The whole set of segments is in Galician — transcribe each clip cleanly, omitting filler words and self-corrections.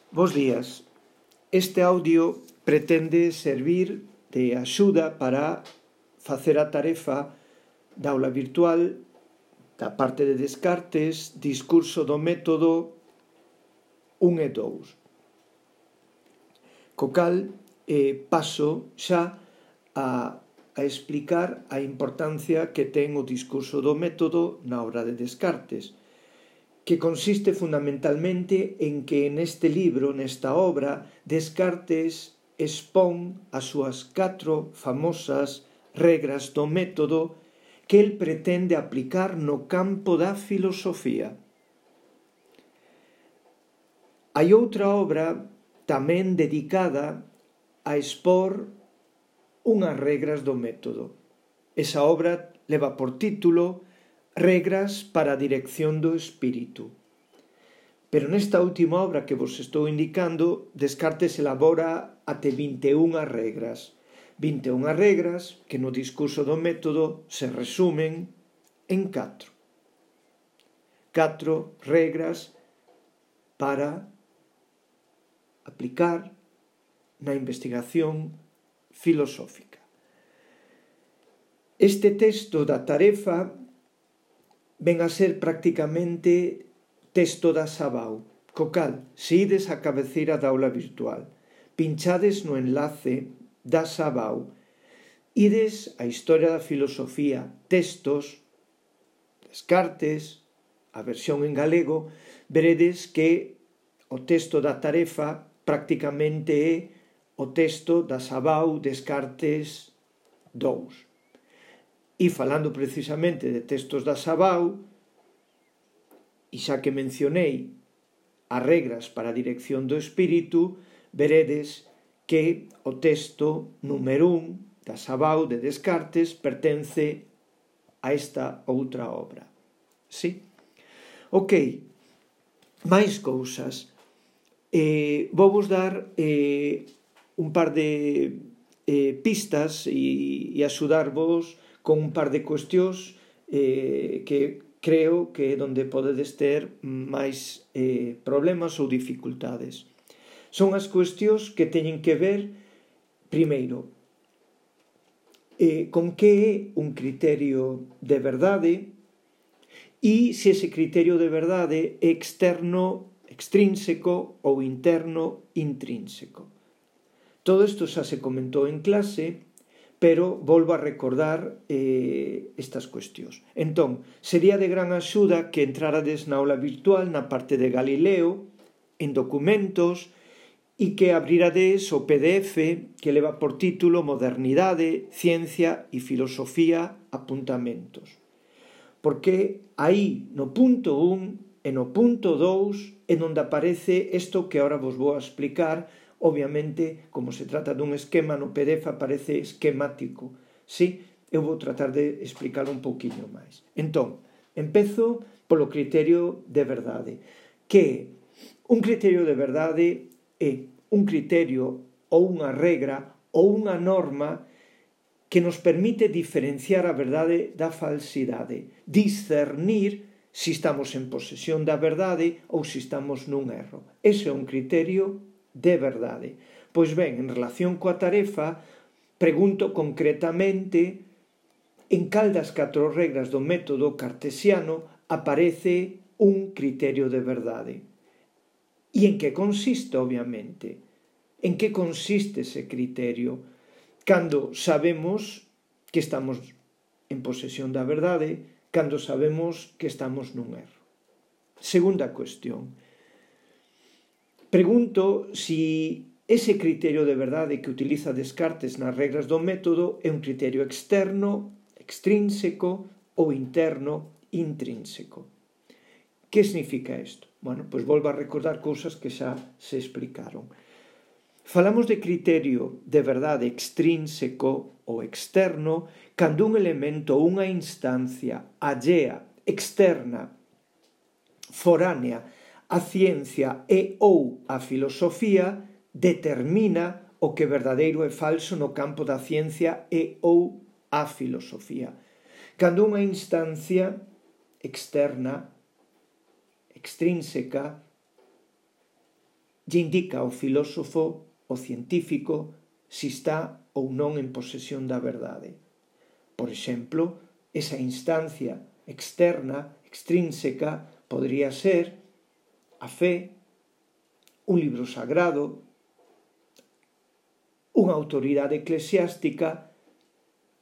Bos días. Este audio pretende servir de axuda para facer a tarefa da aula virtual da parte de Descartes, discurso do método 1 e 2. Co cal paso xa a explicar a importancia que ten o discurso do método na obra de Descartes, que consiste fundamentalmente en que neste libro, nesta obra, Descartes expón as súas 4 famosas regras do método que el pretende aplicar no campo da filosofía. Hai outra obra tamén dedicada a expor unhas regras do método. Esa obra leva por título Regras para a dirección do espírito. Pero nesta última obra que vos estou indicando, Descartes elabora até 21 regras. 21 regras que no discurso do método se resumen en 4. 4 regras para aplicar na investigación filosófica. Este texto da tarefa ven a ser prácticamente texto da Sabau, co cal, se ides á cabeceira da aula virtual, pinchades no enlace da Sabau, ides á Historia da Filosofía, textos, Descartes, a versión en galego, veredes que o texto da tarefa prácticamente é o texto da Sabau Descartes 2. E falando precisamente de textos da Sabau, e xa que mencionei as regras para a dirección do espírito, veredes que o texto número 1 da Sabau de Descartes pertence a esta outra obra. Sí? Ok, máis cousas. Vou vos dar un par de pistas e axudarvos con un par de cuestións que creo que é onde podedes ter máis problemas ou dificultades. Son as cuestións que teñen que ver, primeiro, con que é un criterio de verdade e se ese criterio de verdade é externo, extrínseco ou interno, intrínseco. Todo isto xa se comentou en clase, pero volvo a recordar estas cuestións. Entón, sería de gran axuda que entrarades na aula virtual na parte de Galileo, en documentos, e que abrirades o PDF que leva por título Modernidade, Ciencia e Filosofía, Apuntamentos. Porque aí, no punto 1 e no punto 2, é onde aparece isto que agora vos vou a explicar. Obviamente, como se trata dun esquema, no PDF aparece esquemático. Sí, eu vou tratar de explicar un pouquiño máis. Entón, empezo polo criterio de verdade. Que un criterio de verdade é un criterio ou unha regra ou unha norma que nos permite diferenciar a verdade da falsidade, discernir se estamos en posesión da verdade ou se estamos nun erro. Ese é un criterio de verdade. Pois ben, en relación coa tarefa, pregunto concretamente en cal das 4 regras do método cartesiano aparece un criterio de verdade. E en que consiste, obviamente? En que consiste ese criterio? Cando sabemos que estamos en posesión da verdade, cando sabemos que estamos nun erro. Segunda cuestión. Pregunto si ese criterio de verdade que utiliza Descartes nas regras do método é un criterio externo, extrínseco ou interno, intrínseco. Que significa isto? Bueno, pois volvo a recordar cousas que xa se explicaron. Falamos de criterio de verdade extrínseco ou externo cando un elemento ou unha instancia allea, externa, foránea, a ciencia e ou a filosofía determina o que verdadeiro e falso no campo da ciencia e ou a filosofía. Cando unha instancia externa, extrínseca, lle indica ao filósofo, ao científico, si está ou non en posesión da verdade. Por exemplo, esa instancia externa, extrínseca, podría ser a fe, un libro sagrado, unha autoridade eclesiástica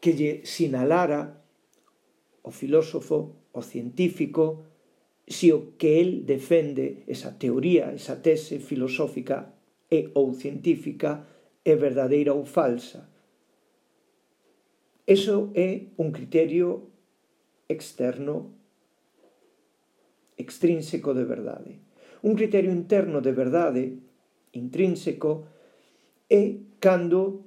que lle sinalara ao filósofo, ao científico, se o que el defende, esa teoría, esa tese filosófica e ou científica, é verdadeira ou falsa. Eso é un criterio externo, extrínseco de verdade. Un criterio interno de verdade, intrínseco, é cando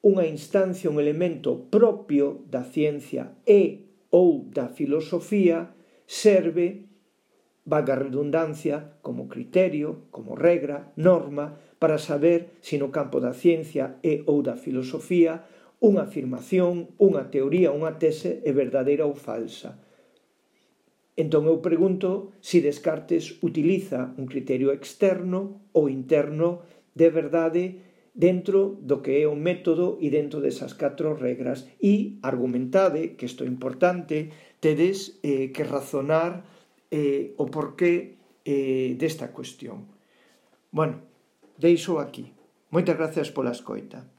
unha instancia, un elemento propio da ciencia e ou da filosofía serve, valga a redundancia, como criterio, como regra, norma, para saber se no campo da ciencia e ou da filosofía unha afirmación, unha teoría, unha tese é verdadeira ou falsa. Entón eu pregunto se Descartes utiliza un criterio externo ou interno de verdade dentro do que é o método e dentro desas 4 regras. E argumentade, que isto é importante, tedes que razonar o porqué desta cuestión. Bueno, deixo aquí. Moitas gracias pola escoita.